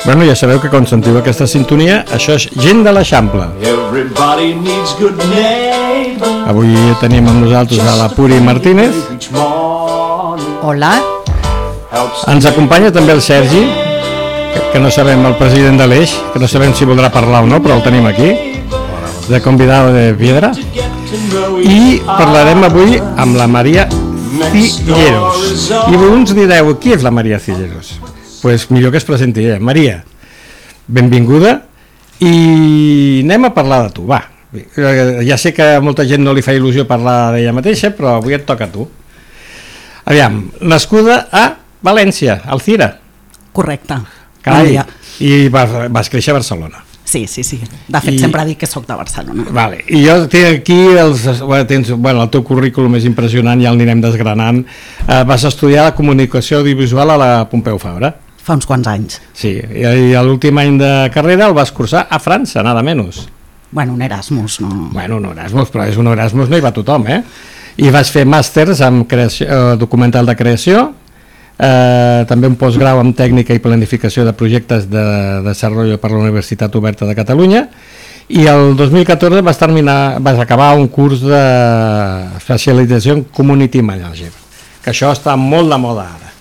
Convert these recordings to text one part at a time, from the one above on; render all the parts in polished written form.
Bueno, ja sabeu que quan sentiu aquesta sintonia, això és Gent de l'Eixample. Avui tenim amb nosaltres a la Puri Martínez. Hola. Ens acompanya també el Sergi, que no sabem, el president de l'Eix, que no sabem si voldrà parlar o no, però el tenim aquí, de convidado de Piedra. I parlarem avui amb la Maria Cilleros. I uns direu, qui és la Maria Cilleros? Pues millor que es presenti ella. Maria, benvinguda, i anem a parlar de tu, va. Ja sé que a molta gent no li fa il·lusió parlar d'ella mateixa, però avui et toca a tu. Aviam, nascuda a València, Alzira. Correcte. Carai, i vas créixer a Barcelona. Sí. De fet, sempre dic que soc de Barcelona. Vale. I jo tinc aquí el teu currículum és impressionant, ja el anirem desgranant. Vas estudiar la comunicació audiovisual a la Pompeu Fabra. Fa uns quants anys. Sí, i l'últim any de carrera el vas cursar a França, nada menys. Bueno, un Erasmus, no? Bueno, un Erasmus, però és un Erasmus, no hi va tothom, eh? I vas fer màsters en documental de creació, també un postgrau en tècnica i planificació de projectes de desenvolupament per la Universitat Oberta de Catalunya, i el 2014 vas acabar un curs de especialització en Community Manager, que això està molt de moda ara.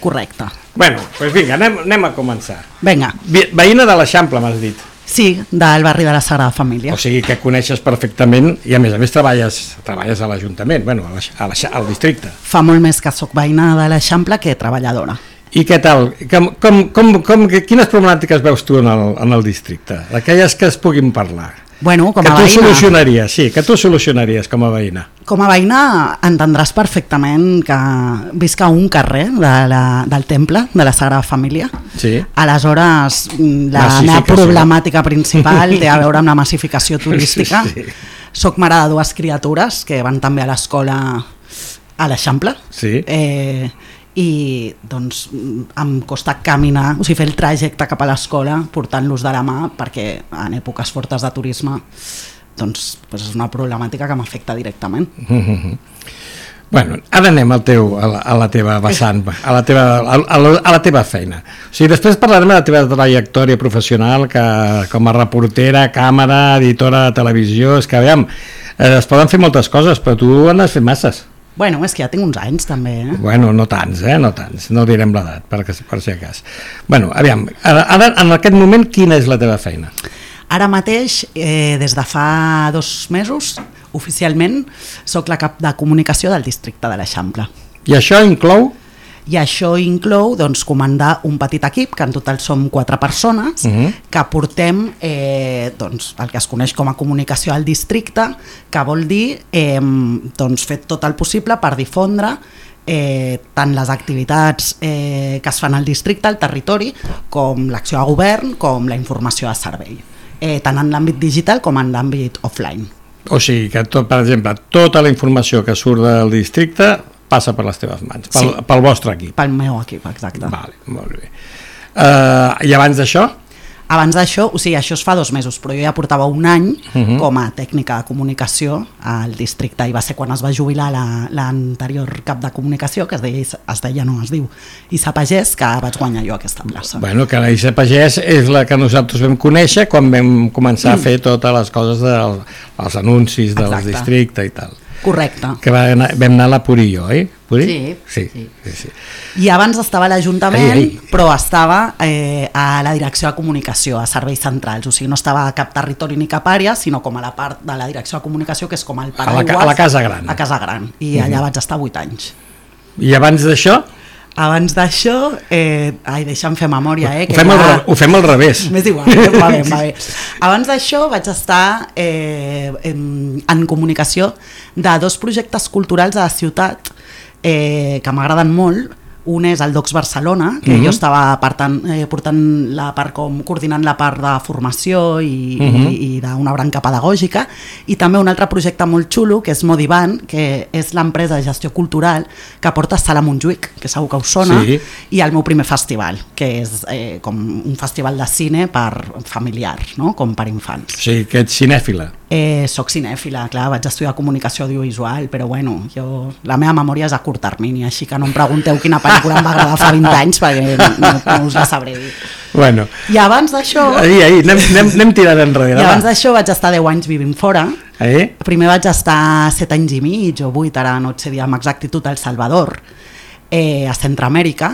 Correcte. Bueno, doncs vinga, anem a començar. Vinga. Veïna de l'Eixample, m'has dit. Sí, del barri de la Sagrada Família. O sigui que coneixes perfectament i a més treballes a l'Ajuntament, bueno, al districte. Fa molt més que sóc veïna de l'Eixample que treballadora. I què tal? Quines problemàtiques veus tu en el districte? Aquelles que es puguin parlar. Bueno, com a veïna. Que tu solucionaries com a veïna. Com a veïna entendràs perfectament que visc a un carrer del temple de la Sagrada Família. Sí. Aleshores, la meva problemàtica principal té a veure amb la massificació turística. Sí. Soc mare de dues criatures que van també a l'escola a l'Eixample. Sí. I doncs em costa caminar, o sigui, fer el trajecte cap a l'escola portant-los de la mà, perquè en èpoques fortes de turisme doncs és una problemàtica que m'afecta directament. Bueno, ara anem a la teva vessant, a la teva feina. O sigui, després parlarem de la teva trajectòria professional, que com a reportera, càmera, editora de televisió, és que aviam, es poden fer moltes coses, però tu n'has fet masses. Bueno, és que ja tinc uns anys també, Bueno, no tants, no direm l'edat, per si acas. Bueno, aviam, ara en aquest moment quina és la teva feina? Ara mateix, des de fa 2 mesos, oficialment, soc la cap de comunicació del districte de l'Eixample. I això inclou? I això inclou comandar un petit equip, que en total som 4 persones, que portem el que es coneix com a comunicació al districte, que vol dir fer tot el possible per difondre tant les activitats que es fan al districte, al territori, com l'acció de govern, com la informació de servei, tant en l'àmbit digital com en l'àmbit offline. O sigui que, per exemple, tota la informació que surt del districte passa per les teves mans, pel vostre equip. Pel meu equip, exacte. Vale, molt bé. I abans d'això? Abans d'això, o sigui, això es fa 2 mesos, però jo ja portava un any com a tècnica de comunicació al districte, i va ser quan es va jubilar l'anterior cap de comunicació, que es diu Issa Pagès, que vaig guanyar jo aquesta plaça. Bueno, que la Issa Pagès és la que nosaltres vam conèixer quan vam començar a fer totes les coses dels anuncis del districte i tal. Correcte. Que vam anar a la Puri i jo, oi? Puri? Sí. I abans estava a l'Ajuntament, però estava a la direcció de comunicació, a serveis centrals, o sigui, no estava a cap territori ni cap àrea, sinó com a la part de la direcció de comunicació, que és com el paraigües. A la Casa Gran. A Casa Gran, i allà vaig estar 8 anys. I abans d'això? Abans d'això, deixa'm fer memòria, Ho fem al revés. M'és igual, va bé. Abans d'això vaig estar en comunicació de 2 projectes culturals a la ciutat que m'agraden molt. Un és el Docs Barcelona, que jo estava portant la part coordinant la part de formació i d'una branca pedagògica, i també un altre projecte molt xulo que és Modivan, que és l'empresa de gestió cultural que porta Sala Montjuïc, que segur que us sona, i el meu primer festival, que és com un festival de cine per familiar, com per infants. O sigui, que ets cinèfila. Soc cinèfila, clar, vaig estudiar comunicació audiovisual, però bueno, la meva memòria és a curt termini, així que no em pregunteu quina pel·lícula em va agradar fa 20 anys, perquè no us la sabré dir. Bueno. I abans d'això... Anem tirant enrere. I abans d'això vaig estar 10 anys vivint fora. Primer vaig estar 7 anys i mig o 8, ara no et sé dir amb exactitud, al Salvador, a Centroamèrica,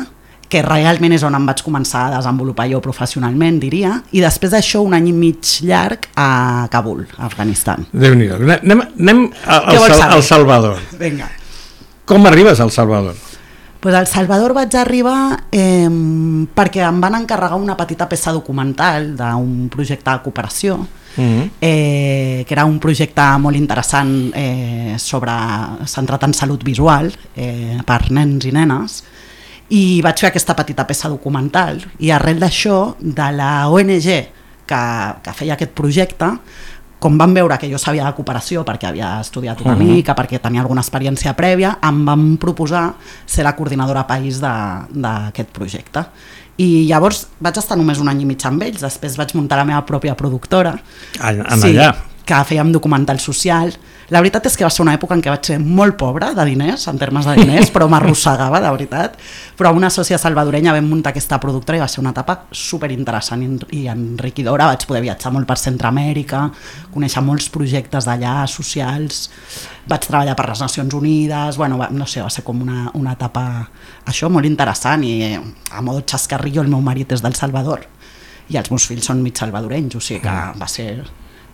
que realment és on em vaig començar a desenvolupar jo professionalment, diria, i després d'això un any i mig llarg a Kabul, a Afganistan. Déu-n'hi-do. Anem al Salvador. Vinga. Com arribes al Salvador? Pues al Salvador vaig arribar perquè em van encarregar una petita peça documental d'un projecte de cooperació, que era un projecte molt interessant centrat en salut visual per nens i nenes, i vaig fer aquesta petita peça documental, i arrel d'això, de la ONG que feia aquest projecte, com van veure que jo sabia de cooperació perquè havia estudiat una mica, perquè tenia alguna experiència prèvia, em van proposar ser la coordinadora país d'aquest projecte. I llavors vaig estar només un any i mig amb ells, després vaig muntar la meva pròpia productora. Allà. Que fèiem documental social. La veritat és que va ser una època en què vaig ser molt pobra de diners, en termes de diners, però m'arrossegava, de veritat. Però una sòcia salvadorenya vam muntar aquesta productora i va ser una etapa superinteressant i enriquidora. Vaig poder viatjar molt per Centroamèrica, conèixer molts projectes d'allà, socials, vaig treballar per les Nacions Unides, bueno, no sé, va ser com una etapa això molt interessant, i a modo xascarrillo el meu marit és del Salvador i els meus fills són mig salvadorenys, o sigui que va ser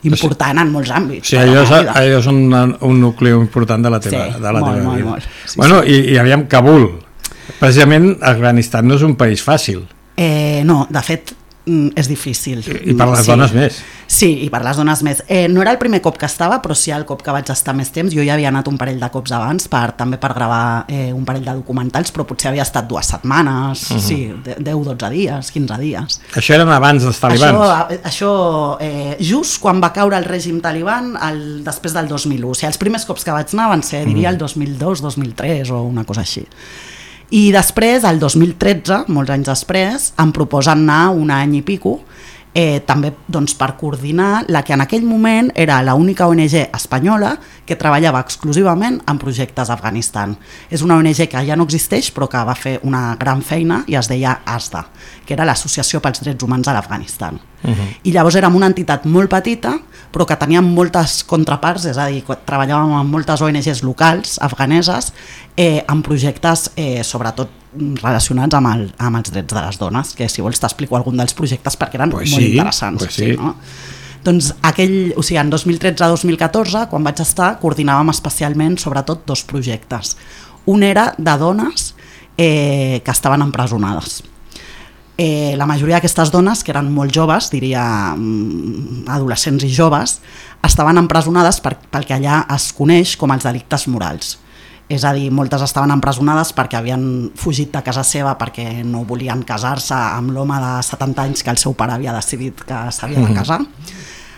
important en molts àmbits. Sí, allò és un nucli important de la teva vida. Molt. Sí, bueno, sí. I aviam, Kabul, precisament Afganistan no és un país fàcil. No, de fet és difícil. I per les dones més. Sí, i per les dones més. No era el primer cop que estava, però sí el cop que vaig estar més temps. Jo ja havia anat un parell de cops abans, també per gravar un parell de documentals, però potser havia estat 2 setmanes, 10, 12 dies, 15 dies. Això eren abans dels talibans? Això just quan va caure el règim taliban després del 2001. O sigui, els primers cops que vaig anar van ser, diria, el 2002, 2003 o una cosa així. I després, el 2013, molts anys després, em proposen anar un any i pico, també doncs, per coordinar la que en aquell moment era l'única ONG espanyola que treballava exclusivament en projectes a Afganistan. És una ONG que ja no existeix, però que va fer una gran feina i es deia ASDA, que era l'Associació pels Drets Humans a l'Afganistan. I llavors érem una entitat molt petita, però que tenia moltes contraparts, és a dir, treballàvem amb moltes ONGs locals, afganeses, en projectes sobretot relacionats amb els drets de les dones, que si vols t'explico algun dels projectes perquè eren molt interessants. Sí. No? Doncs en 2013-2014, quan vaig estar, coordinàvem especialment sobretot 2 projectes. Un era de dones que estaven empresonades. La majoria d'aquestes dones, que eren molt joves, diria adolescents i joves, estaven empresonades pel que allà es coneix com els delictes morals. És a dir, moltes estaven empresonades perquè havien fugit de casa seva perquè no volien casar-se amb l'home de 70 anys que el seu pare havia decidit que s'havia de casar.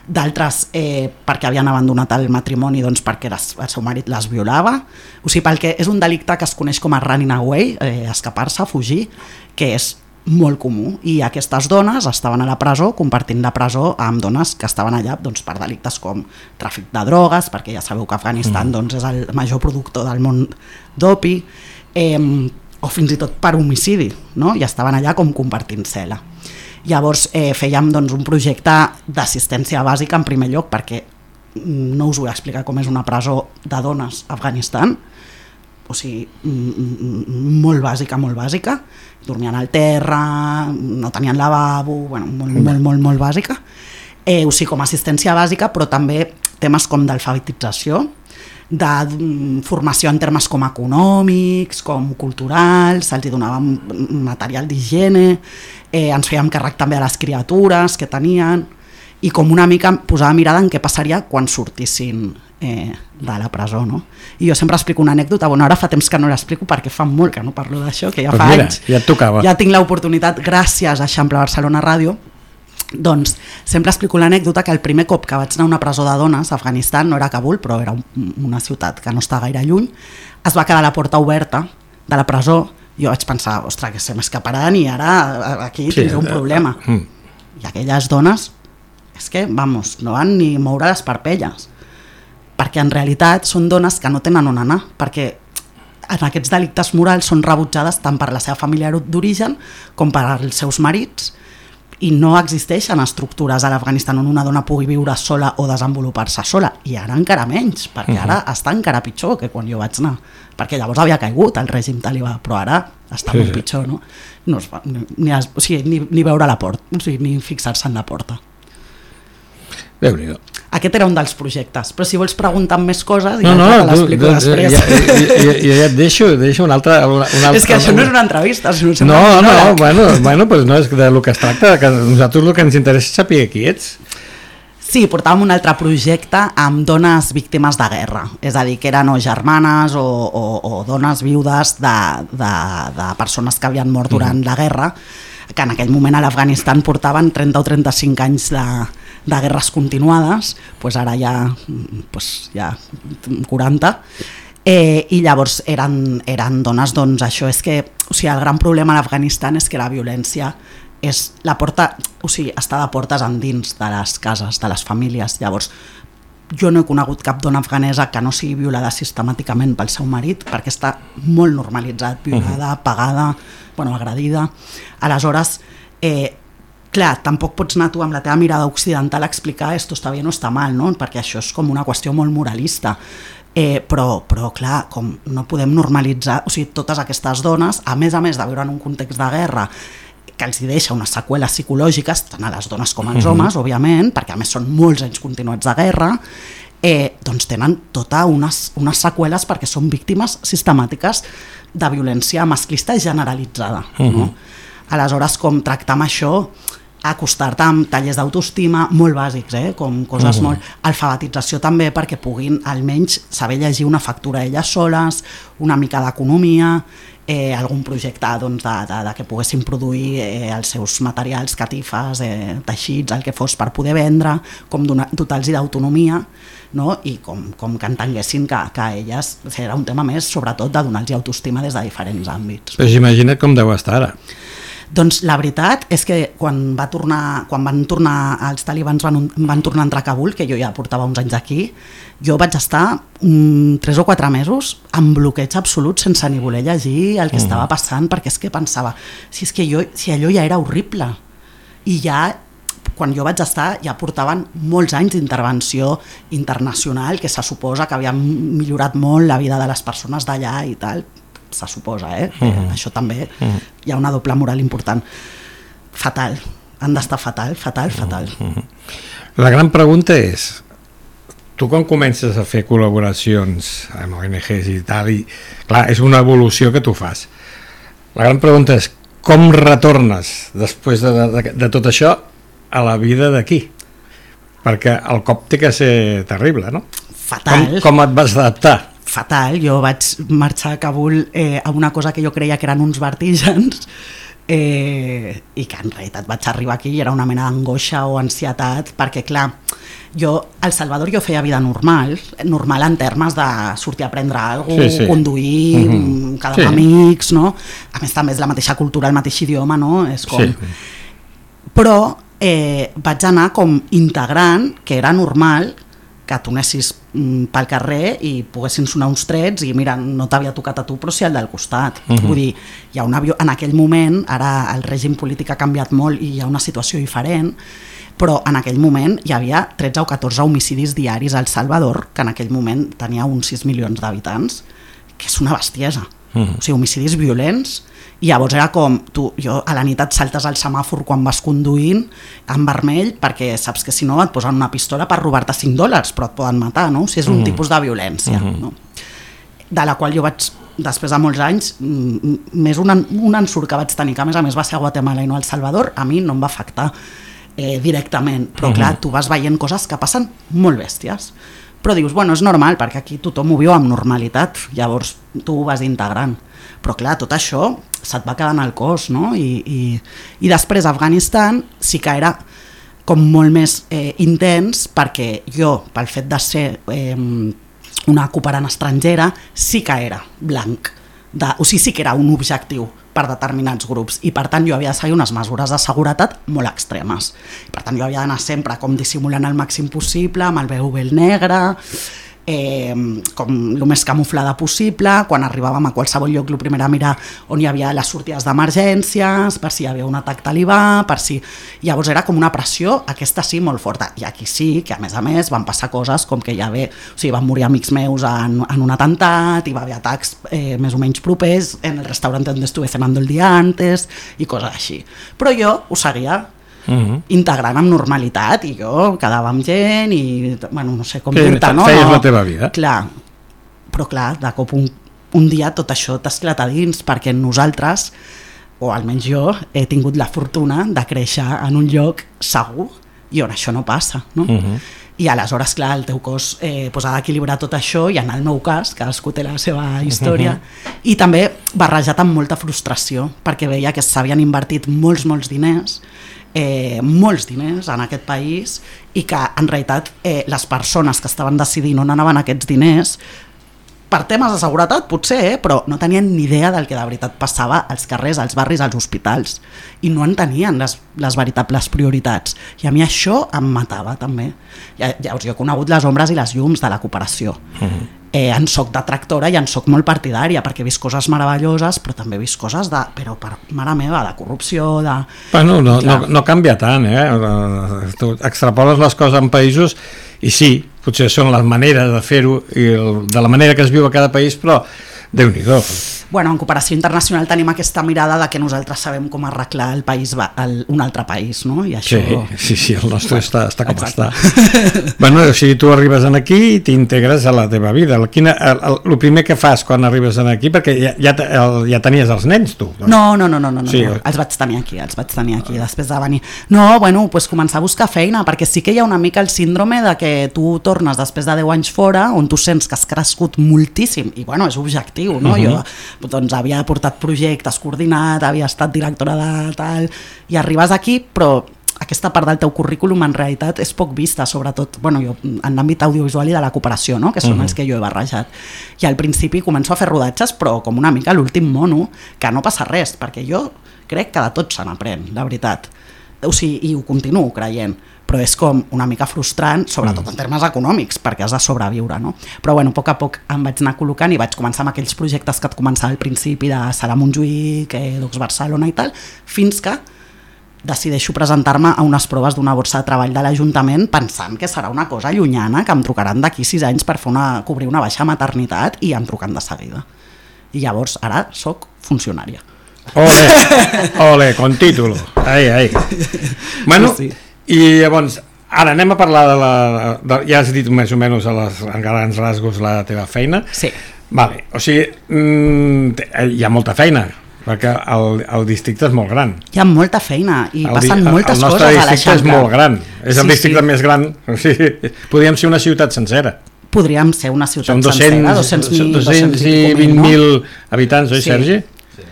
D'altres perquè havien abandonat el matrimoni perquè el seu marit les violava. O sigui, perquè és un delicte que es coneix com a running away, escapar-se, fugir, que és molt comú, i aquestes dones estaven a la presó compartint la presó amb dones que estaven allà per delictes com tràfic de drogues, perquè ja sabeu que Afganistan és el major productor del món d'opi, o fins i tot per homicidi, no? I estaven allà com compartint cel·la. Llavors fèiem un projecte d'assistència bàsica en primer lloc, perquè no us vull explicar com és una presó de dones a Afganistan, o sigui, molt bàsica, dormien al terra, no tenien lavabo, molt bàsica. O sigui, com a assistència bàsica, però també temes com d'alfabetització, de formació en termes com econòmics, com culturals, se'ls donava material d'higiene, ens fèiem càrrec també de les criatures que tenien, i com una mica posava mirada en què passaria quan sortissin de la presó, no? I jo sempre explico una anècdota, ara fa temps que no l'explico perquè fa molt que no parlo d'això, que ja fa anys, ja et tocava. Ja tinc l'oportunitat, gràcies a Eixample Barcelona Ràdio, doncs sempre explico l'anècdota que el primer cop que vaig anar a una presó de dones a Afganistan, no era Kabul, però era una ciutat que no està gaire lluny, es va quedar la porta oberta de la presó. Jo vaig pensar, ostres, que se m'escaparan i ara aquí tindré un problema. I aquelles dones, és que, no van ni moure les parpelles, perquè en realitat són dones que no tenen on anar, perquè en aquests delictes morals són rebutjades tant per la seva família d'origen com per als seus marits, i no existeixen estructures a l'Afganistan on una dona pugui viure sola o desenvolupar-se sola, i ara encara menys, perquè ara està encara pitjor que quan jo vaig anar, perquè llavors havia caigut el règim talibà, però ara està molt pitjor, no? No es va, ni veure la porta, o sigui, ni fixar-se en la porta. Déu-n'hi-do. Aquest era un dels projectes, però si vols preguntar més coses te l'explico després. Ja et deixo un altre... És que això no és una entrevista. Bueno, pues no, és del que es tracta, que nosaltres el que ens interessa és saber qui ets. Sí, portàvem un altre projecte amb dones víctimes de guerra, és a dir, que eren o germanes o dones viudes de persones que havien mort durant la guerra, que en aquell moment a l'Afganistan portaven 30 o 35 anys de guerres continuades, doncs ara ja 40, i llavors eren dones, doncs això és que, o sigui, el gran problema a l'Afganistan és que la violència és la porta, o sigui, està de portes endins de les cases, de les famílies. Llavors, jo no he conegut cap dona afganesa que no sigui violada sistemàticament pel seu marit, perquè està molt normalitzat, violada, pagada, agredida. Aleshores, clar, tampoc pots anar tu amb la teva mirada occidental a explicar esto està bé o no està mal, no? Perquè això és com una qüestió molt moralista. Però clar, com no podem normalitzar, o sigui, totes aquestes dones, a més de viure en un context de guerra que els deixa unes seqüeles psicològiques, tant a les dones com als homes, òbviament, perquè a més són molts anys continuats de guerra, doncs tenen totes unes seqüeles perquè són víctimes sistemàtiques de violència masclista generalitzada. No? Aleshores, com tractar amb això, acostar-te amb tallers d'autoestima molt bàsics, com coses molt... Alfabetització també perquè puguin almenys saber llegir una factura elles soles, una mica d'economia, algun projecte de que poguessin produir els seus materials, catifes, teixits, el que fos per poder vendre, com dotar-los d'autonomia, no? I com que entenguessin que elles, era un tema més sobretot de donar-los autoestima des de diferents àmbits. Però imagina't com deu estar ara. Doncs la veritat és que quan van tornar els talibans van tornar a entrar a Kabul, que jo ja portava uns anys aquí, jo vaig estar 3 o 4 mesos amb bloqueig absolut sense ni voler llegir el que estava passant, perquè és que pensava si allò ja era horrible, i ja quan jo vaig estar ja portaven molts anys d'intervenció internacional que se suposa que havien millorat molt la vida de les persones d'allà i tal, se suposa, això també hi ha una doble moral important. Fatal, han d'estar fatal. La gran pregunta és, tu quan comences a fer col·laboracions amb ONGs i tal, i clar, és una evolució que tu fas, la gran pregunta és com retornes després de tot això a la vida d'aquí, perquè el cop té que ser terrible, no? Fatal. Com et vas adaptar? Fatal, jo vaig marxar a Kabul a una cosa que jo creia que eren uns vertígens i que en realitat vaig arribar aquí i era una mena d'angoixa o ansietat, perquè clar, jo al Salvador jo feia vida normal en termes de sortir a prendre alguna cosa, conduir, quedar amb amics, no? A més també és la mateixa cultura, el mateix idioma, no? És com... Però vaig anar com integrant que era normal que tu anessis pel carrer i poguessin sonar uns trets i mira, no t'havia tocat a tu però sí al del costat. Vull dir, hi ha en aquell moment, ara el règim polític ha canviat molt i hi ha una situació diferent, però en aquell moment hi havia 13 o 14 homicidis diaris al Salvador, que en aquell moment tenia uns 6 milions d'habitants, que és una bestiesa. O sigui, homicidis violents, i llavors era com, jo a la nit et saltes al semàfor quan vas conduint en vermell perquè saps que si no et posen una pistola per robar-te $5 però et poden matar, no? O sigui, és un tipus de violència, no? De la qual jo vaig, després de molts anys, més un ensurt que vaig tenir, que a més va ser a Guatemala i no a El Salvador, a mi no em va afectar directament, però clar, tu vas veient coses que passen molt bèsties, però dius, bueno, és normal perquè aquí tothom ho viu amb normalitat, llavors tu ho vas integrant, però clar, tot això se't va quedant al cos, no? I després a Afganistan sí que era com molt més intens, perquè jo, pel fet de ser una cooperant estrangera, sí que era blanc, o sigui, sí que era un objectiu per determinats grups, i per tant jo havia de seguir unes mesures de seguretat molt extremes, per tant jo havia d'anar sempre com dissimulant el màxim possible, amb el vel negre, com el més camuflada possible. Quan arribàvem a qualsevol lloc, el primer a mirar on hi havia les sortides d'emergències, per si hi havia un atac talibà, per si... Llavors era com una pressió, aquesta sí, molt forta. I aquí sí, que a més van passar coses com que van morir amics meus en un atemptat, i va haver atacs més o menys propers en el restaurant on estuve cenando el dia antes i coses així. Però jo ho seguia integrant amb normalitat, i jo quedava amb gent i, bueno, no sé com dir-te, no? Feies la teva vida. Clar, però clar, de cop un dia tot això t'esclata dins, perquè nosaltres, o almenys jo, he tingut la fortuna de créixer en un lloc segur i on això no passa, no? I aleshores, clar, el teu cos ha d'equilibrar tot això, i en el meu cas, cadascú té la seva història, i també barrejat amb molta frustració, perquè veia que s'havien invertit molts diners en aquest país, i que en realitat les persones que estaven decidint on anaven aquests diners, per temes de seguretat potser, però no tenien ni idea del que de veritat passava als carrers, als barris, als hospitals, i no en tenien les veritables prioritats, i a mi això em matava també. Llavors jo he conegut les ombres i les llums de la cooperació. En soc detractora i en soc molt partidària, perquè he vist coses meravelloses, però també he vist coses mare meva, de corrupció, de... Bueno, no canvia tant, tu extrapoles les coses en països i sí, potser són les maneres de fer-ho i de la manera que es viu a cada país, però Déu-n'hi-do. Bueno, en cooperació internacional tenim aquesta mirada de que nosaltres sabem com arreglar el país, un altre país, no? I això... Sí, el nostre està com està. Bueno, o sigui, tu arribes aquí i t'integres a la teva vida. El primer que fas quan arribes aquí, perquè ja tenies els nens, tu? No, sí. Els vaig tenir aquí, després de venir. No, bueno, doncs començar a buscar feina, perquè sí que hi ha una mica el síndrome de que tu tornes després de 10 anys fora, on tu sents que has crescut moltíssim, i bueno, és objectiu, no? Jo doncs havia portat projectes coordinat, havia estat directora de tal, i arribes aquí, però aquesta part del teu currículum en realitat és poc vista, sobretot jo, en l'àmbit audiovisual i de la cooperació, no? Que són els que jo he barrejat. I al principi començo a fer rodatges, però com una mica l'últim mono, que no passa res, perquè jo crec que de tot se n'aprèn, la veritat. O sigui, i ho continuo creient, però és com una mica frustrant, sobretot en termes econòmics, perquè has de sobreviure, no? Però bueno, a poc a poc em vaig anar col·locant i vaig començar amb aquells projectes que et començava al principi de Sala Montjuïc, Docs Barcelona i tal, fins que decideixo presentar-me a unes proves d'una borsa de treball de l'Ajuntament pensant que serà una cosa llunyana, que em trucaran d'aquí 6 anys per cobrir una baixa maternitat, i em truquen de seguida. I llavors ara soc funcionària. Ole, con título. Ai. Bueno, sí. I llavors, ara anem a parlar ja has dit més o menys en grans rasgos la teva feina. Sí. Vale, o sigui, hi ha molta feina, perquè el districte és molt gran. Hi ha molta feina i passen moltes coses a l'Eixample. El nostre districte és molt gran, és el districte més gran, o sigui, podríem ser una ciutat sencera. Podríem ser una ciutat sencera, 220.000 habitants, oi, Sergi?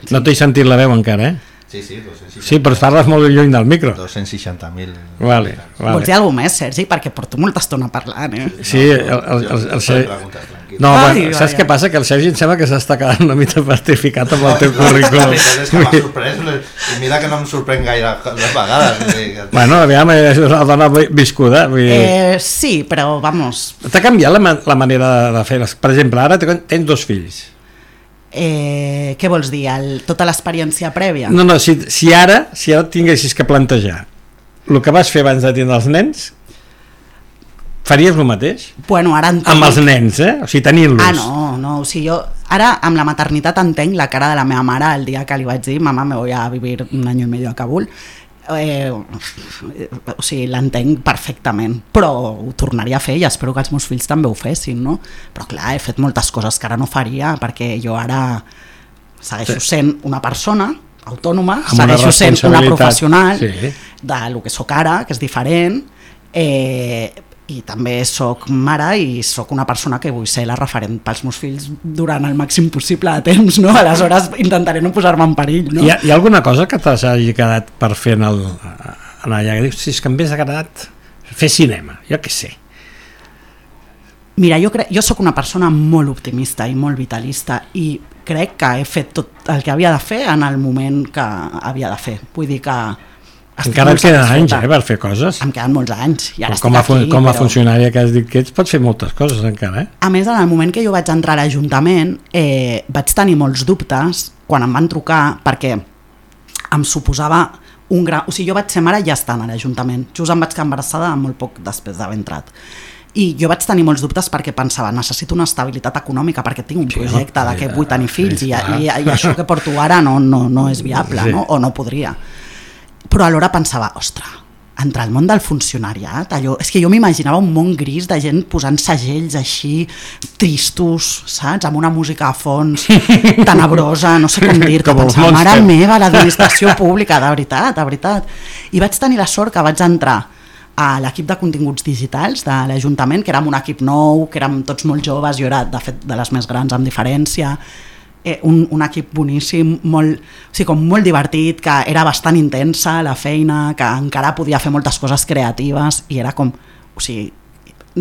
No t'he sentit la veu encara, Sí, 260. Sí, però parles molt lluny del micro. 260.000. Vale. Vols dir alguna més, Sergi? Perquè porto molta estona parlant, Sí, el Sergi... No, saps què passa? Que el Sergi em sembla que s'està quedant una mica petrificat amb el teu currículum. És que m'ha sorprès, i mira que no em sorprèn gaire les vegades. Bueno, aviam, és una dona viscuda. Sí, però vamos... T'ha canviat la manera de fer? Per exemple, ara tens 2 fills. Què vols dir? Tota l'experiència prèvia? No, si ara tinguessis que plantejar el que vas fer abans de tindre els nens, faries el mateix? Bueno, ara entenc... Amb els nens, o sigui, tenint-los. No, o sigui, jo ara amb la maternitat entenc la cara de la meva mare el dia que li vaig dir mamà, me voy a vivir 1 año y medio a Kabul. O sigui, l'entenc perfectament, però ho tornaria a fer i espero que els meus fills també ho fessin, no? Però clar, he fet moltes coses que ara no faria, perquè jo ara segueixo sent una persona autònoma, segueixo sent una professional del que sóc ara, que és diferent, i també sóc mare i sóc una persona que vull ser la referent pels meus fills durant el màxim possible de temps, no? Aleshores intentaré no posar-me en perill, no? Hi ha alguna cosa que t'hagi quedat per fer allà, que dius, si és que m'hagués agradat fer cinema, jo què sé. Mira, jo sóc una persona molt optimista i molt vitalista i crec que he fet tot el que havia de fer en el moment que havia de fer. Vull dir que Encara et queden anys, per fer coses. Em queden molts anys. I ara com a funcionària que has dit que ets, pots fer moltes coses encara, A més, en el moment que jo vaig entrar a l'Ajuntament, vaig tenir molts dubtes quan em van trucar, perquè em suposava un gran... O sigui, jo vaig ser mare ja estant a l'Ajuntament. Just em vaig quedar embarassada molt poc després d'haver entrat. I jo vaig tenir molts dubtes perquè pensava, necessito una estabilitat econòmica perquè tinc un projecte de que vull tenir fills i això que porto ara no és viable, no? O no podria. Però alhora pensava, ostres, entrar al món del funcionariat, allò, és que jo m'imaginava un món gris de gent posant segells així, tristos, saps? Amb una música a fons tenebrosa, no sé com dir-te, pensava, mare meva, l'administració pública, de veritat. I vaig tenir la sort que vaig entrar a l'equip de continguts digitals de l'Ajuntament, que érem un equip nou, que érem tots molt joves, jo era de fet de les més grans amb diferència, un equip boníssim, molt divertit, que era bastant intensa la feina, que encara podia fer moltes coses creatives i era com, o sigui,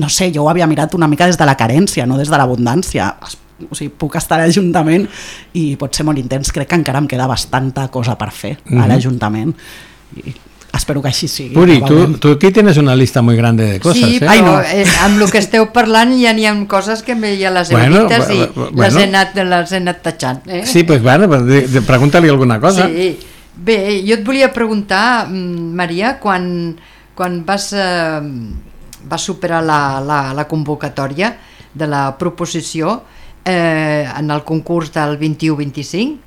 no sé, jo ho havia mirat una mica des de la carència, no des de l'abundància. O sigui, puc estar a l'Ajuntament i pot ser molt intens, crec que encara em queda bastanta cosa per fer a l'Ajuntament i espero que així sigui. Puri, tu aquí tienes una lista muy grande de cosas. Sí, però amb el que esteu parlant ja n'hi ha coses que ja les heu dites i les he anat tachant. Sí, doncs bueno, pregunta-li alguna cosa. Sí. Bé, jo et volia preguntar, Maria, quan vas superar la convocatòria de la proposició en el concurs del 21-25,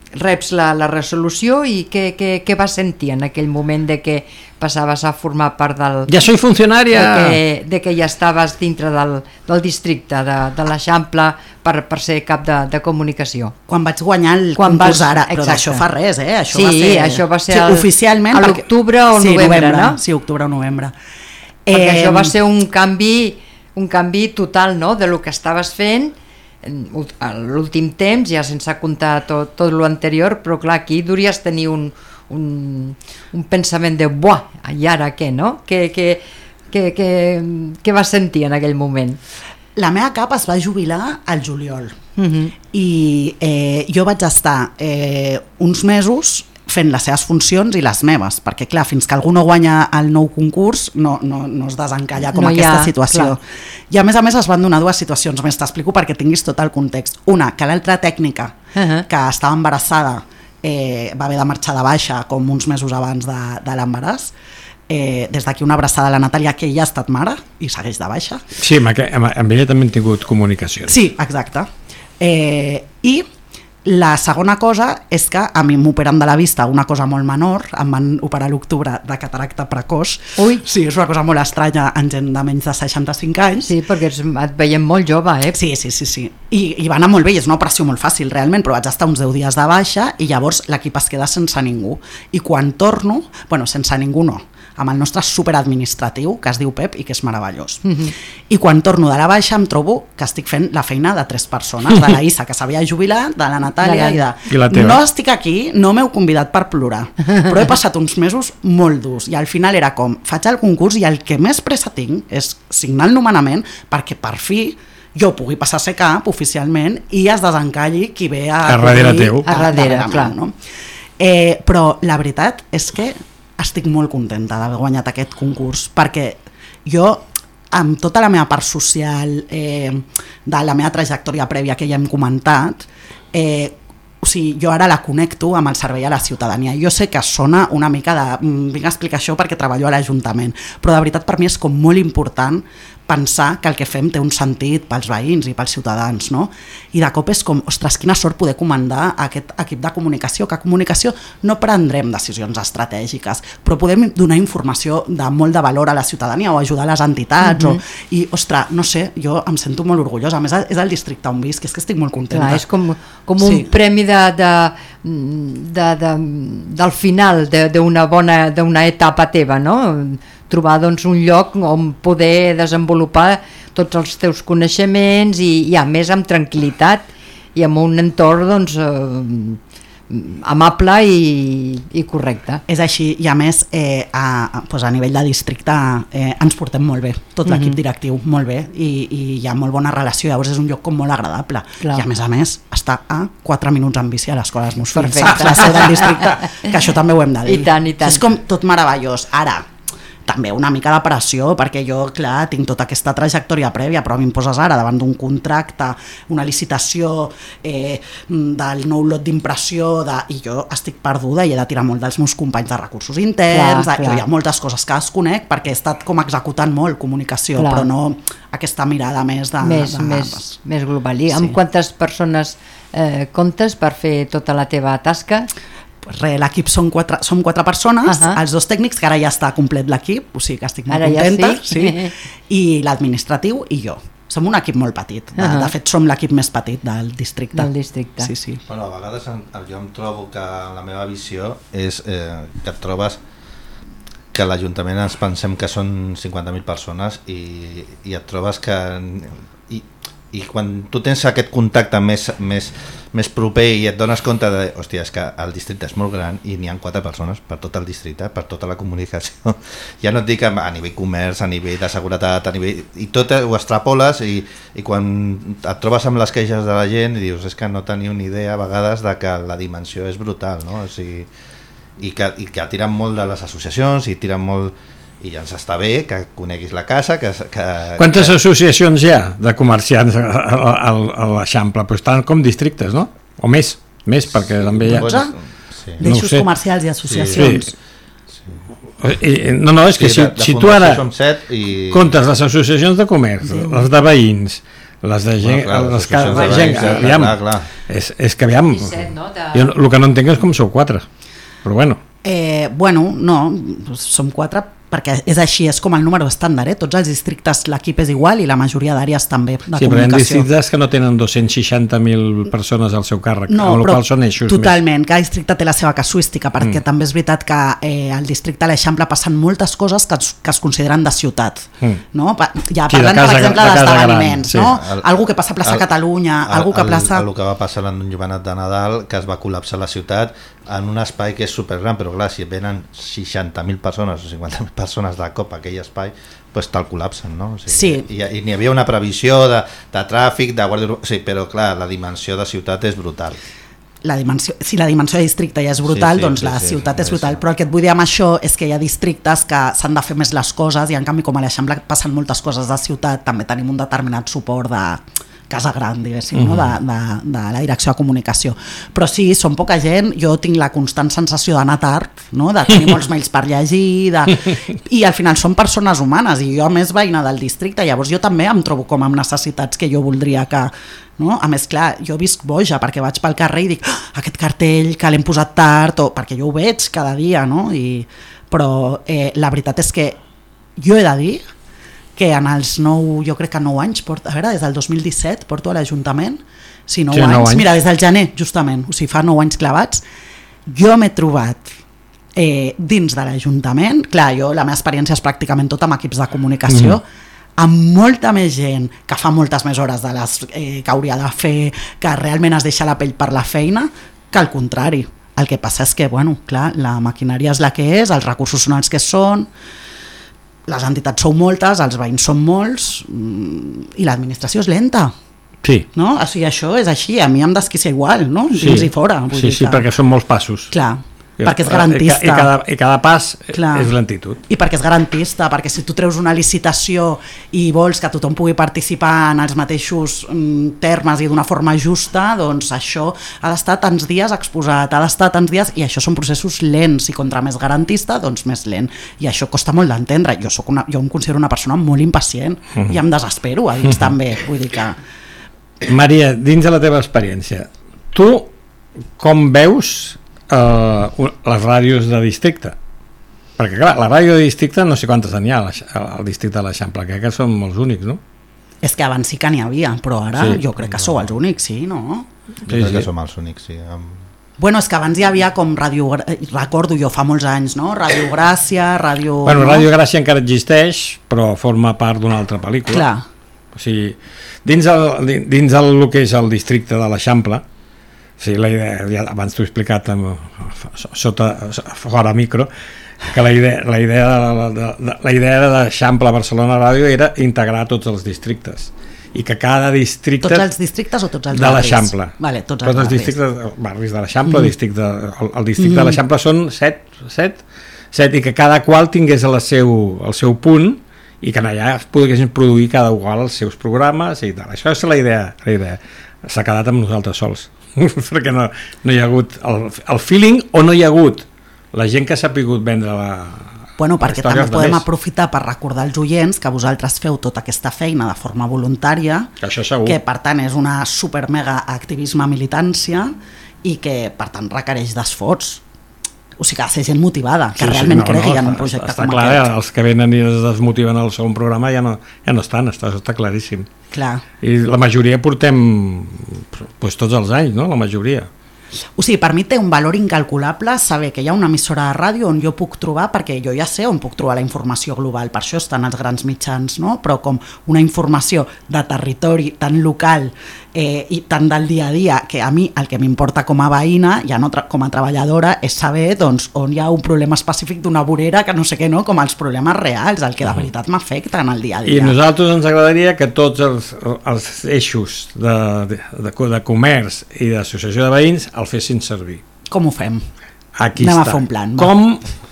reps la resolució i què vas sentir en aquell moment de que passaves a formar part del... Ja soy funcionària! De que ja estaves dintre del districte de l'Eixample per ser cap de comunicació. Quan vaig guanyar el concurs ara, però d'això fa res, Això va ser oficialment a l'octubre o novembre, no? Sí, octubre o novembre. Perquè això va ser un canvi total, no?, de lo que estaves fent a l'últim temps, ja sense comptar tot l'anterior, però clar, aquí deuries tenir un pensament de buah, i ara què, no? Què vas sentir en aquell moment? La meva cap es va jubilar al juliol i jo vaig estar uns mesos fent les seves funcions i les meves, perquè clar, fins que algú no guanya el nou concurs no es desencalla com aquesta situació. Clar. I a més es van donar dues situacions més, t'explico perquè tinguis tot el context. Una, que l'altra tècnica que estava embarassada va haver de marxar de baixa com uns mesos abans de l'embaràs. Des d'aquí una abraçada a la Natàlia, que ella ha estat mare i segueix de baixa. Sí, amb ella també hem tingut comunicacions. Sí, exacte. I la segona cosa és que a mi m'operen de la vista una cosa molt menor, em van operar a l'octubre de cataracta precoç. Ui. Sí, és una cosa molt estranya en gent de menys de 65 anys. Sí, perquè et veiem molt jove, Sí. I va anar molt bé, i és una operació molt fàcil realment, però vaig estar uns 10 dies de baixa i llavors l'equip es queda sense ningú. I quan torno, sense ningú no, amb el nostre superadministratiu, que es diu Pep i que és meravellós. I quan torno de la baixa em trobo que estic fent la feina de 3 persones, de la Issa, que s'havia jubilat, de la Natàlia i la teva. No estic aquí, no m'heu convidat per plorar, però he passat uns mesos molt durs i al final era com, faig el concurs i el que més pressa tinc és signar el nomenament perquè per fi jo pugui passar a ser cap oficialment i es desencalli qui ve a darrere teu. A darrere, clar. No? Però la veritat és que estic molt contenta d'haver guanyat aquest concurs, perquè jo, amb tota la meva part social, de la meva trajectòria prèvia que ja hem comentat, o sigui, jo ara la connecto amb el servei a la ciutadania. Jo sé que sona una mica de... vinc a explicar això perquè treballo a l'Ajuntament, però de veritat per mi és com molt important pensar que el que fem té un sentit pels veïns i pels ciutadans, no? I de cop és com, ostres, quina sort poder comandar aquest equip de comunicació, que a comunicació no prendrem decisions estratègiques, però podem donar informació de molt de valor a la ciutadania o ajudar les entitats, i, ostres, no sé, jo em sento molt orgullosa, a més és el districte on visc, és que estic molt contenta. Clar, és com un premi del final d'una etapa teva, no? Trobar doncs un lloc on poder desenvolupar tots els teus coneixements i a més amb tranquil·litat i amb un entorn doncs amable i correcte. És així, i a més a nivell de districte ens portem molt bé, tot l'equip directiu molt bé, i hi ha molt bona relació, llavors és un lloc com molt agradable. Clar. I a més està a 4 minuts en bici a l'escola dels meus fills, la seu del districte, que això també ho hem de dir. I tant. És com tot meravellós. Ara, també una mica de pressió, perquè jo, clar, tinc tota aquesta trajectòria prèvia, però a mi em poses ara davant d'un contracte, una licitació, del nou lot d'impressió, i jo estic perduda i he de tirar molt dels meus companys de recursos interns, clar. Hi ha moltes coses que desconec perquè he estat com executant molt comunicació, clar. Però no aquesta mirada més més global. I amb quantes persones comptes per fer tota la teva tasca? L'equip som 4 persones, els 2 tècnics, que ara ja està complet l'equip, o sigui que estic molt contenta, sí. I l'administratiu i jo. Som un equip molt petit, de fet som l'equip més petit del districte. Sí. Bueno, a vegades jo em trobo que la meva visió és que et trobes que a l'Ajuntament ens pensem que són 50.000 persones i et trobes que... I quan tu tens aquest contacte més proper i et dones compte de, hòstia, és que el districte és molt gran i n'hi ha 4 persones per tot el districte, per tota la comunicació, ja no et dic a nivell comerç, a nivell de seguretat, i tot ho extrapoles i quan et trobes amb les queixes de la gent i dius, és que no teniu ni idea a vegades de que la dimensió és brutal, no? O sigui, i que tiren molt de les associacions i tiren molt... I ja ens està bé que coneguis la casa, Quantes associacions hi ha de comerciants a l'Eixample? Pues tant com districtes, no? O més perquè també hi ha... 12? D'eixos comercials i associacions. No, és que si tu ara comptes les associacions de comerç, les de veïns, les de gent... És que aviam... Jo el que no entenc és com sou 4, però bueno. No, som 4 perquè és així, és com el número estàndard, tots els districtes l'equip és igual i la majoria d'àrees també de comunicació. Sí, però hi ha districtes que no tenen 260.000 persones al seu càrrec, amb la qual són eixos totalment, cada districte té la seva casuística, perquè també és veritat que al districte de l'Eixample passen moltes coses que es consideren de ciutat, no? Ja parlant, per exemple, d'esdeveniments, no? Algú que passa a plaça Catalunya, algú que passa... El que va passar en un Jovenet de Nadal, que es va col·lapsar la ciutat en un espai que és supergran, però clar, si venen 60.000 persones o 50.000 persones de cop a aquell espai, doncs te'l col·lapsen, no? O sigui, sí. I n'hi havia una previsió de tràfic, de guàrdia... Sí, però clar, la dimensió de ciutat és brutal. Si la dimensió de districte ja és brutal, doncs la ciutat és brutal, però el que et vull dir amb això és que hi ha districtes que s'han de fer més les coses i en canvi com a l'Eixample passen moltes coses de ciutat, també tenim un determinat suport de casa gran, diguéssim, no? de la direcció de comunicació. Però sí, som poca gent, jo tinc la constant sensació d'anar tard, no? De tenir molts mails per llegir, i al final són persones humanes, i jo a més veïna del districte, llavors jo també em trobo com amb necessitats que jo voldria que... No? A més, clar, jo visc boja perquè vaig pel carrer i dic, aquest cartell que l'hem posat tard, perquè jo ho veig cada dia, no? Però la veritat és que jo he de dir que en els 9, jo crec que 9 anys, a veure, des del 2017 porto a l'Ajuntament, sí, 9 anys, mira, des del gener, justament, o sigui, fa 9 anys clavats, jo m'he trobat dins de l'Ajuntament, clar, la meva experiència és pràcticament tot amb equips de comunicació, amb molta més gent que fa moltes més hores de les que hauria de fer, que realment es deixa la pell per la feina, que al contrari. El que passa és que, bueno, clar, la maquinària és la que és, els recursos són els que són, les entitats són moltes, els veïns són molts i l'administració és lenta. Sí. No? O sigui, això és així, a mi em desquicia igual, no? Dins i fora. Sí, perquè són molts passos. Clar, perquè és garantista. I cada pas és lentitud. I perquè és garantista, perquè si tu treus una licitació i vols que tothom pugui participar en els mateixos termes i d'una forma justa, doncs això ha d'estar tants dies exposat, ha d'estar tants dies, i això són processos lents, i contra més garantista, doncs més lent. I això costa molt d'entendre. Jo em considero una persona molt impacient i em desespero a dins també. Vull dir que... Maria, dins de la teva experiència, tu com veus les ràdios de districte? Perquè clar, la ràdio de districte no sé quantes n'hi ha al districte de l'Eixample, crec que som els únics, no? És que abans sí que n'hi havia, però ara jo crec que sou els únics, sí, no? Jo crec que som els únics, sí. Bueno, és que abans hi havia com ràdio, recordo jo fa molts anys, no? Ràdio Gràcia, ràdio... Bueno, Ràdio Gràcia encara existeix, però forma part d'una altra pel·lícula. Clar. O sigui, dins el que és el districte de l'Eixample, Sí, la idea, ja abans t'ho he explicat fora micro, que la idea de l'Eixample Barcelona Ràdio era integrar tots els districtes i que cada districte... Tots els districtes o tots els barris? De l'Eixample. Vale, tots els barris. Barris de l'Eixample, el districte de l'Eixample són 7 i que cada qual tingués el seu punt i que allà es poguessin produir cada qual els seus programes i tal. Això és la idea. S'ha quedat amb nosaltres sols perquè no hi ha hagut el feeling o no hi ha hagut la gent que s'ha pogut vendre perquè també podem aprofitar per recordar als oients que vosaltres feu tota aquesta feina de forma voluntària, que per tant és una super mega activisme militància i que per tant requereix d'esforç. O sigui que ha de ser gent motivada, que realment cregui en un projecte com clar, aquest. Els que venen i es desmotiven al segon programa ja no estan, està claríssim. Clar. I la majoria portem tots els anys, no? La majoria. O sigui, per mi té un valor incalculable saber que hi ha una emissora de ràdio on jo puc trobar, perquè jo ja sé on puc trobar la informació global, per això estan els grans mitjans, no? Però com una informació de territori tan local i tan del dia a dia, que a mi el que m'importa com a veïna, ja no com a treballadora, és saber doncs, on hi ha un problema específic d'una vorera, que no sé què, no? Com els problemes reals, el que de veritat m'afecta en el dia a dia. I a nosaltres ens agradaria que tots els eixos de comerç i d'associació de veïns el fessin servir. Com ho fem? Aquí Anem està. a fer un plan.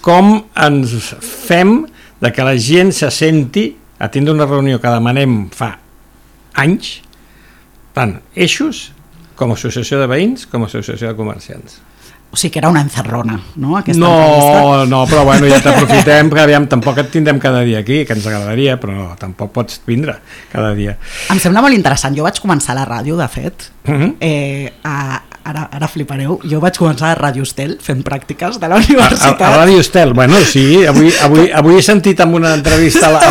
Com ens fem de que la gent se senti a tindre una reunió que demanem fa anys, tant eixos com a associació de veïns com a associació de comerciants. O sigui que era una encerrona, no? No, però bueno, ja t'aprofitem, perquè aviam, tampoc et tindrem cada dia aquí, que ens agradaria, però tampoc pots vindre cada dia. Em sembla molt interessant. Jo vaig començar a la ràdio, de fet, ara flipareu, jo vaig començar a Ràdio Estel fent pràctiques de la universitat. A Ràdio Estel, bueno, sí, avui he sentit en una entrevista a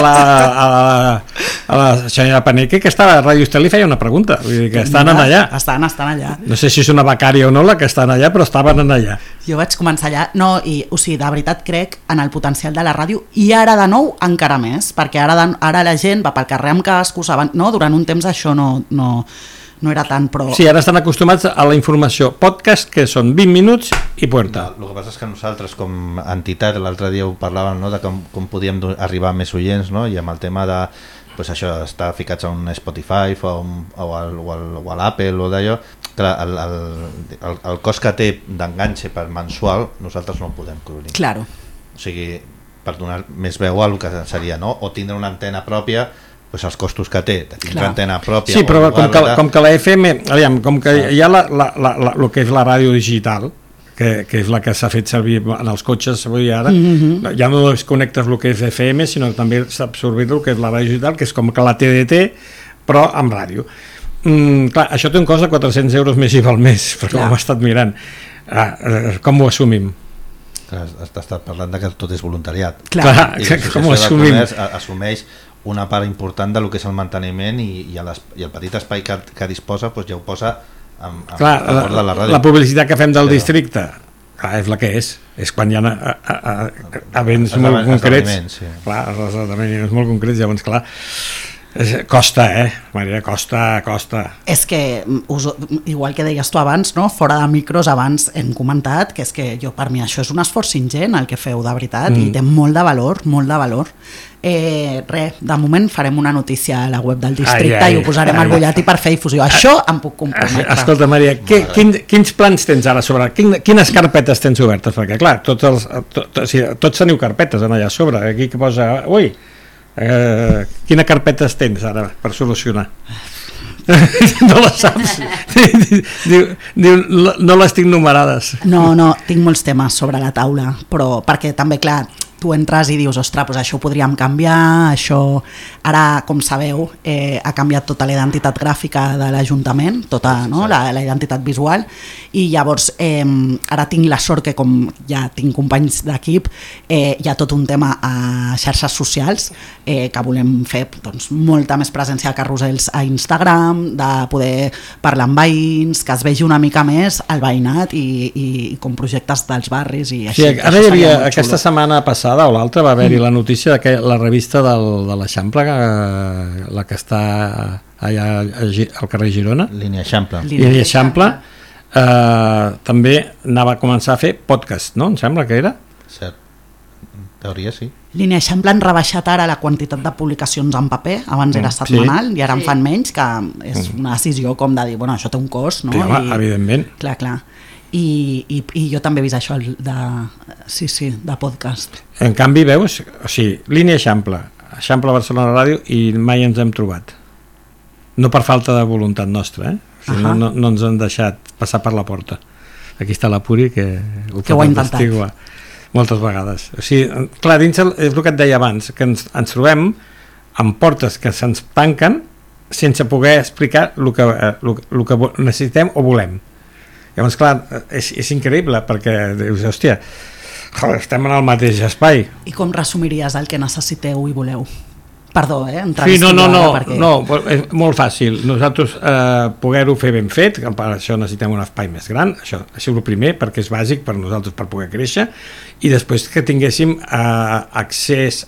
la senyora Paneque que estava a Ràdio Estel i feia una pregunta, vull dir que estan allà. Estan allà. No sé si és una becària o no la que estan allà, però estaven allà. Jo vaig començar allà, o sigui, de veritat crec en el potencial de la ràdio i ara de nou encara més, perquè ara la gent va pel carrer amb cascos, no? Durant un temps això no era tant, però... Sí, ara estan acostumats a la informació podcast, que són 20 minuts i puerta. El que passa és que nosaltres, com a entitat, l'altre dia ho parlàvem, no?, de com podíem arribar a més oients, no?, i amb el tema de pues això, estar ficats a un Spotify o a l'Apple o d'allò, clar, el cost que té d'enganxe per mensual nosaltres no el podem cobrir. Claro. O sigui, per donar més veu al que seria, no?, o tindre una antena pròpia, pues els costos que té de tindre antena pròpia. Sí, però com que la FM, aviam, com que hi ha el que és la ràdio digital, que és la que s'ha fet servir en els cotxes avui ara, ja no desconnectes el que és FM, sinó que també s'ha absorbit el que és la ràdio digital, que és com que la TDT, però amb ràdio. Clar, això té un cost de 400 euros més IVA al mes, perquè ho hem estat mirant. Com ho assumim? Has estat parlant que tot és voluntariat. Clar, com ho assumim? Assumeix una part important del que és el manteniment i el petit espai que disposa ja ho posa a favor de la ràdio. La publicitat que fem del districte és la que és quan hi ha events molt concrets, clar, els esdeveniments molt concrets, llavors clar costa, Maria, costa. És que, igual que deies tu abans, no? Fora de micros abans hem comentat que és que per mi això és un esforç ingent el que feu, de veritat, i té molt de valor, molt de valor. De moment farem una notícia a la web del districte i ho posarem al butlletí per fer difusió. Això em puc comprometre. Escolta, Maria, quins plans tens ara sobre? Quines carpetes tens obertes? Perquè clar, tots teniu carpetes allà a sobre, aquí que posa quina carpetes tens ara per solucionar? No les saps. Diu, no les tinc numerades. No, tinc molts temes sobre la taula, però perquè també, clar, tu entres i dius, ostres, doncs això ho podríem canviar, això... Ara, com sabeu, ha canviat tota la identitat gràfica de l'Ajuntament, tota, no? La identitat visual, i llavors ara tinc la sort que, com ja tinc companys d'equip, hi ha tot un tema a xarxes socials, que volem fer doncs, molta més presència de carrusels a Instagram, de poder parlar amb veïns, que es vegi una mica més el veïnat i com projectes dels barris i així. Sí, ara hi havia, aquesta setmana passada o l'altra va haver-hi la notícia que la revista de l'Eixample, la que està allà al carrer Girona, Línia Eixample, també anava a començar a fer podcast, no? Em sembla que era. Cert. En teoria sí. Línia Eixample han rebaixat ara la quantitat de publicacions en paper, abans era setmanal i ara en fan menys, que és una decisió com de dir, bueno, això té un cost, no? Sí, home, evidentment. Clar. I jo també he vist això de podcast. En canvi, veus, o sigui, Línia Eixample Barcelona Ràdio, i mai ens hem trobat. No per falta de voluntat nostra, o sigui, no ens han deixat passar per la porta. Aquí està la Puri, que ho ha intentat moltes vegades. O sigui, clar, dins és el que et deia abans, que ens trobem amb portes que se'ns tanquen sense poder explicar el que necessitem o volem. Llavors, clar, és increïble, perquè dius, hòstia, estem en el mateix espai. I com resumiries el que necessiteu i voleu? Perdó, Sí, no, és molt fàcil. Nosaltres poder-ho fer ben fet, que per això necessitem un espai més gran, això és el primer, perquè és bàsic per nosaltres per poder créixer, i després que tinguéssim accés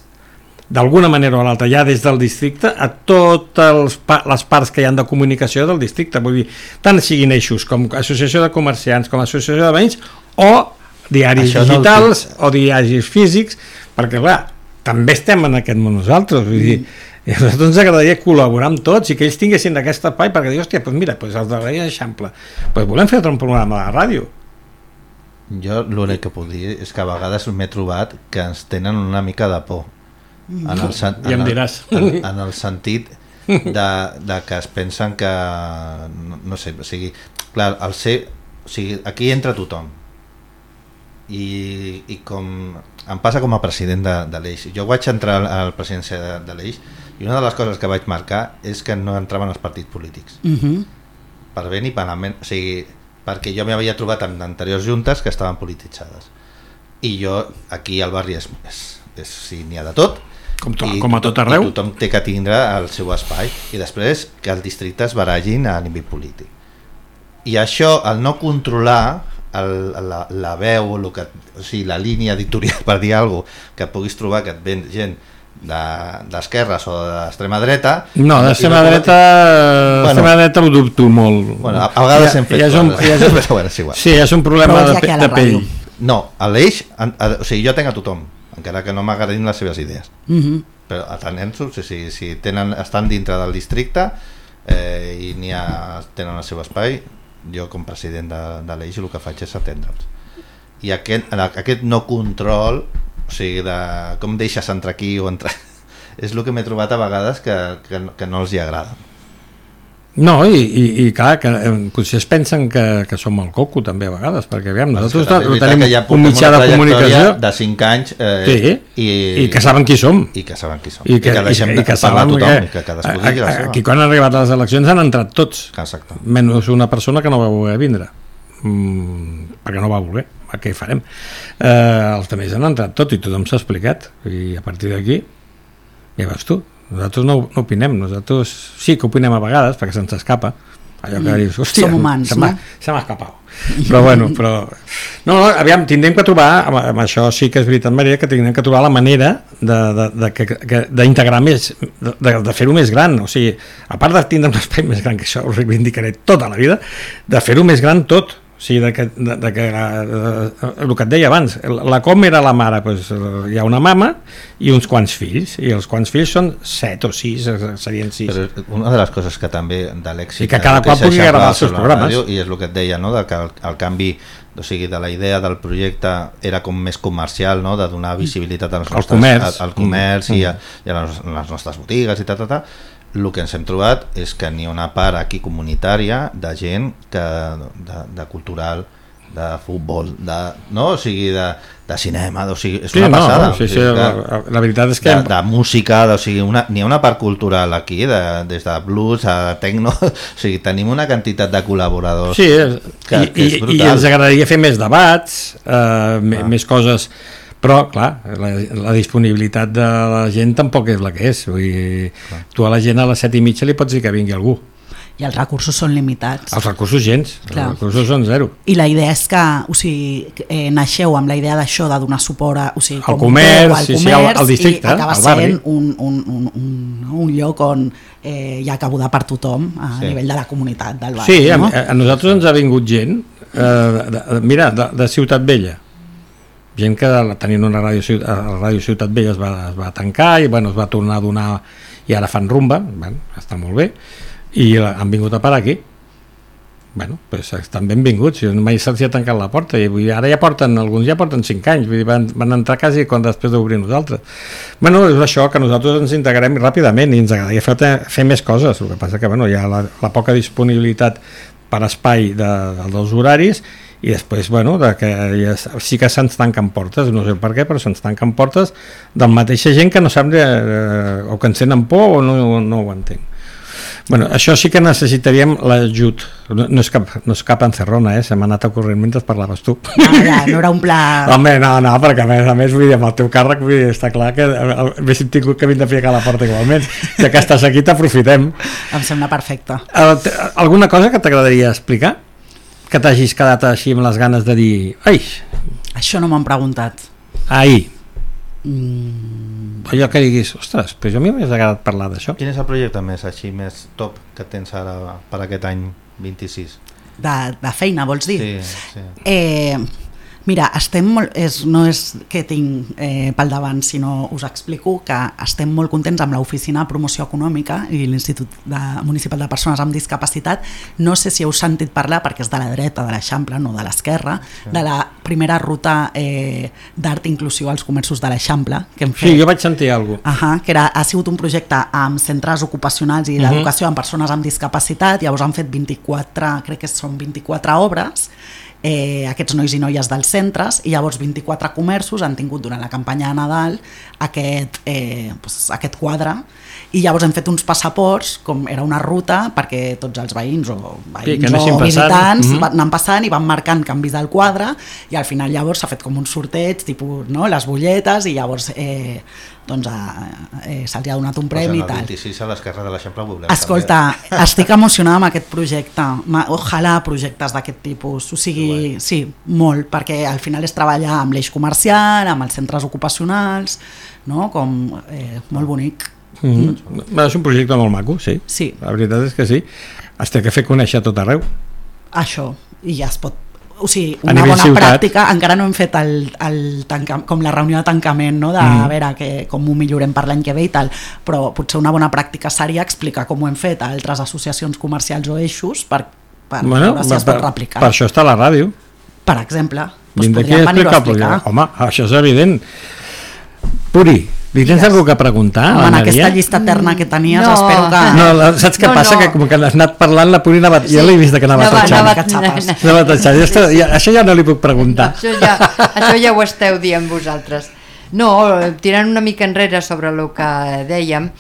d'alguna manera o l'altra, ja des del districte, a totes les parts que hi ha de comunicació del districte, vull dir, tant siguin eixos com associació de comerciants, com associació de veïns, o diaris digitals, o diaris físics, perquè clar, també estem en aquest món nosaltres, vull dir, a nosaltres ens agradaria col·laborar amb tots i que ells tinguessin aquest espai perquè dir, hòstia, doncs mira, els de Línia Eixample, volem fer un programa de ràdio. Jo l'únic que puc dir és que a vegades m'he trobat que ens tenen una mica de por. Ja em diràs. En el sentit de que es pensen que, no sé, o sigui, clar, aquí entra tothom. I com em passa com a president de l'Eix, jo vaig entrar a la presidència de l'Eix i una de les coses que vaig marcar és que no entraven els partits polítics, per bé ni per malament, o sigui, perquè jo m'havia trobat en anteriors juntes que estaven polititzades, i jo aquí al barri sí, n'hi ha de tot, com a tot arreu, i tothom té que tindre el seu espai, i després que el districte es barallin a nivell polític, i això, el no controlar la veu, o sigui, la línia editorial, per dir alguna cosa, que puguis trobar que et ven gent d'esquerres o d'extrema dreta. No, d'extrema dreta ho dubto molt. Bueno, a vegades hem fet coses, però és igual. Sí, és un problema de pell. No, a l'Eix, o sigui, jo tenc a tothom, encara que no m'agradin les seves idees, però atenent-s'ho, si estan dintre del districte i tenen el seu espai, jo com president de l'Eix el que faig és atendre'ls, i aquest no control, o sigui, de com deixes entrar aquí o entrar, és el que m'he trobat a vegades que no els hi agrada. No, i clar, que potser es pensen que som el coco també a vegades, perquè aviam, nosaltres tenim un mitjà de comunicació de 5 anys i que saben qui som i que deixem de parlar a tothom i que cadascú digui la seva. Aquí quan han arribat les eleccions han entrat tots. Exacte. Menys una persona que no va voler vindre perquè no va voler, què farem? Els altres han entrat tots i tothom s'ha explicat, i a partir d'aquí ja veus tu, nosaltres no opinem, nosaltres sí que opinem a vegades perquè se'ns escapa allò que dius, hòstia, som humans, se m'ha escapat, però bueno, aviam, tindrem que trobar, amb això sí que és veritat, Maria, que tindrem que trobar la manera d'integrar més, de fer-ho més gran, o sigui, a part de tindre un espai més gran, que això ho reivindicaré tota la vida, de fer-ho més gran tot. O sigui, el que et deia abans, la com era la mare, doncs, hi ha una mama i uns quants fills, i els quants fills són 7 o 6, serien 6. Però una de les coses que també de l'èxit, i que cada qual pugui gravar els seus programes, i és el que et deia, no? Que el canvi, o sigui, de la idea del projecte era com més comercial, no? De donar visibilitat al comerç i a les nostres botigues i tal. El que ens hem trobat és que n'hi ha una part aquí comunitària de gent de cultural, de futbol, no? O sigui, de cinema, o sigui, és una passada. La veritat és que de música, o sigui, n'hi ha una part cultural aquí, des de blues a techno, o sigui, tenim una quantitat de col·laboradors que és brutal. I ens agradaria fer més debats, més coses. Però, clar, la disponibilitat de la gent tampoc és la que és. Vull dir, tu a la gent a les 7:30 li pots dir que vingui algú. i els recursos són limitats. Els recursos gens, els recursos són zero. I la idea és que, o sigui, naixeu amb la idea d'això, de donar suport a, o sigui, al comerç, al districte, i acaba al barri. sent un lloc on hi ha cabuda per tothom a nivell de la comunitat del barri. Sí, no? A nosaltres ens ha vingut gent, mira, de Ciutat Vella, gent que tenint una ràdio Ciutat Vella es va tancar i bueno, es va tornar a donar i ara fan rumba, bueno, està molt bé, i han vingut a parar aquí. Bueno, pues estan benvinguts, mai se'ls ha tancat la porta i ara alguns ja porten 5 anys, vull dir, van entrar quasi quan després d'obrir nosaltres. Bueno, és això, que nosaltres ens integrem ràpidament i ens agradaria fer més coses, el que passa que bueno, hi ha la poca disponibilitat per espai dels horaris i després, bueno, sí que se'ns tanquen portes, no sé per què, però se'ns tanquen portes de mateixa gent que no sap o que ens tenen por o no ho entenc. Bueno, això sí que necessitaríem l'ajut. No és cap encerrona, se m'ha anat ocorrent mentre parlaves tu. No era un pla... Home, no, perquè a més vull dir, amb el teu càrrec vull dir, està clar que haguéssim tingut que vindre a ficar la porta igualment. Ja que estàs aquí t'aprofitem. Em sembla perfecte. Alguna cosa que t'agradaria explicar? Que t'hagis quedat així amb les ganes de dir ai, això no m'han preguntat. Ai. Allò que diguis, ostres, però jo a mi m'hagués agradat parlar d'això. Quin és el projecte més top que tens ara per aquest any 26? De feina, vols dir? Sí. Mira, estem molt, no és que tinc pel davant, sinó us explico que estem molt contents amb l'Oficina de Promoció Econòmica i l'Institut Municipal de Persones amb Discapacitat. No sé si heu sentit parlar, perquè és de la dreta de l'Eixample, no de l'esquerra, de la primera ruta d'art inclusiu als comerços de l'Eixample que hem fet. Sí, jo vaig sentir alguna cosa. Que ha sigut un projecte amb centres ocupacionals i d'educació amb persones amb discapacitat. Llavors han fet 24, crec que són 24 obres, aquests nois i noies dels centres, i llavors 24 comerços han tingut durant la campanya de Nadal aquest quadre, i llavors hem fet uns passaports, com era una ruta perquè tots els veïns o visitants anant passant i van marcant canvis del quadre, i al final llavors s'ha fet com un sorteig, tipus, no, les butlletes, i llavors se'ls ha donat un premi i tal. El 26 a l'esquerra de l'Eixample ho veurem. Escolta, estic emocionada amb aquest projecte, ojalà projectes d'aquest tipus, o sigui, sí, molt, perquè al final és treballar amb l'eix comercial, amb els centres ocupacionals, no? Com molt bonic. És un projecte molt maco, sí. La veritat és que sí, es té que fer conèixer tot arreu. Això, i ja es pot, o sigui, una bona pràctica. Encara no hem fet com la reunió de tancament, no? De a veure com ho millorem per l'any que ve i tal, però potser una bona pràctica seria explicar com ho hem fet a altres associacions comercials o eixos per veure si es pot replicar. Per això està la ràdio, per exemple, podríem venir-ho a explicar. Home, això és evident. Puri, li tens alguna cosa a preguntar? En aquesta llista eterna que tenies, espero que... No, saps què passa? Que com que has anat parlant, la Puri anava... Ja l'he vist que anava tatxant. Això ja no li puc preguntar. Això ja ho esteu dient vosaltres. No, tirant una mica enrere sobre el que dèiem,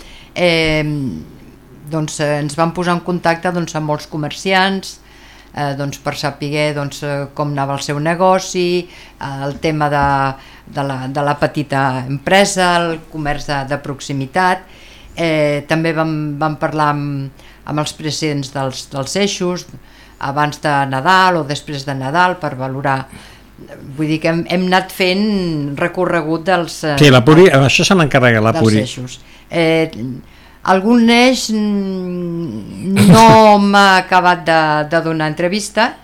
doncs ens vam posar en contacte amb molts comerciants, per saber com anava el seu negoci, el tema de la petita empresa, el comerç de proximitat. També vam parlar amb els presidents dels eixos abans de Nadal o després de Nadal per valorar. Vull dir que hem anat fent recorregut dels... Sí, la Puri, això se n'encarrega la Puri. Dels eixos. Algun eix no m'ha acabat de donar entrevista.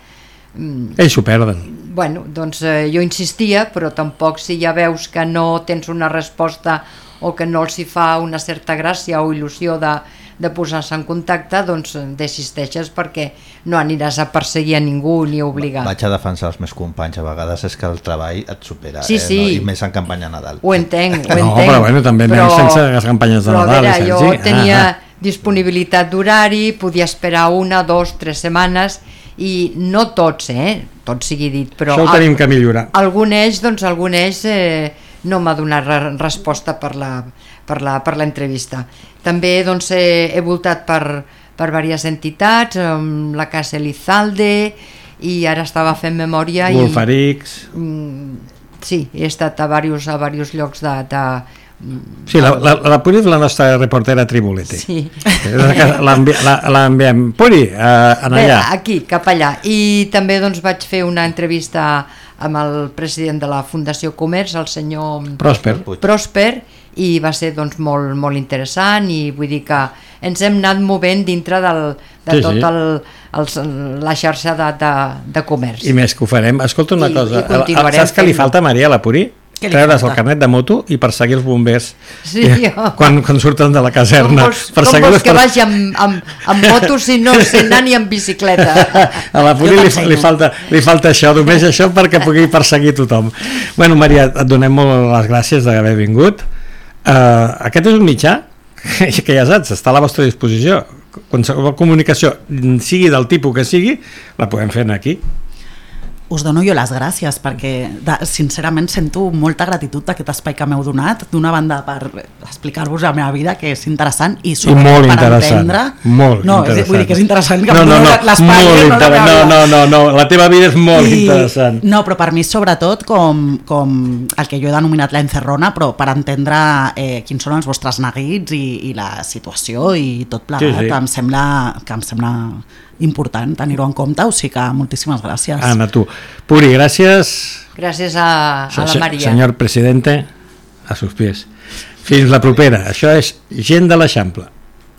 Ells s'ho perden. Bueno, doncs jo insistia, però tampoc si ja veus que no tens una resposta o que no els hi fa una certa gràcia o il·lusió de posar-se en contacte, doncs desisteixes perquè no aniràs a perseguir a ningú ni a obligar. Vaig a defensar els meus companys, a vegades és que el treball et supera, sí. No? I més en campanya de Nadal. Ho entenc. No, però bueno, també anem sense les campanyes de Nadal. Però jo tenia disponibilitat d'horari, podia esperar 1, 2, 3 setmanes i no tots, tot sigui dit, però això ho tenim que millorar. Algun eix no m'ha donat resposta per l'entrevista. També he voltat per diverses entitats, la Casa Elizalde, i ara estava fent memòria. Wolfarix. Sí, he estat a diversos llocs de Sí, la Puri és la nostra reportera tribulete. Sí. L'enviem. Puri, anar allà. Aquí, cap allà. I també doncs, vaig fer una entrevista amb el president de la Fundació Comerç, el senyor Prosper, i va ser doncs, molt, molt interessant, i vull dir que ens hem anat movent dintre la xarxa de comerç. I més que ho farem. Escolta una cosa, saps que li fent-ho. falta, Maria, a la Puri? Treure's el carnet de moto i perseguir els bombers quan surten de la caserna. Com vols que vagi amb moto si no sé anar ni amb bicicleta? A la Puri li falta això, només això perquè pugui perseguir tothom. Bueno, Maria, et donem molt les gràcies d'haver vingut. Aquest és un mitjà que ja saps, està a la vostra disposició. Qualsevol comunicació, sigui del tipus que sigui, la podem fer aquí. Us dono jo les gràcies perquè sincerament sento molta gratitud d'aquest espai que m'heu donat, d'una banda per explicar-vos la meva vida, que és interessant, i sobretot per entendre... Molt interessant. Vull dir que és interessant que m'heu donat l'espai. No, la teva vida és molt interessant. No, però per mi sobretot com el que jo he denominat la encerrona, però per entendre quins són els vostres neguits i la situació i tot plegat, sí. em sembla important tenir-ho en compte, o sigui que moltíssimes gràcies. Anna, tu. Puri, gràcies. Gràcies a la Maria. Senyor presidente, a sus pies. Fins la propera. Això és Gent de l'Eixample.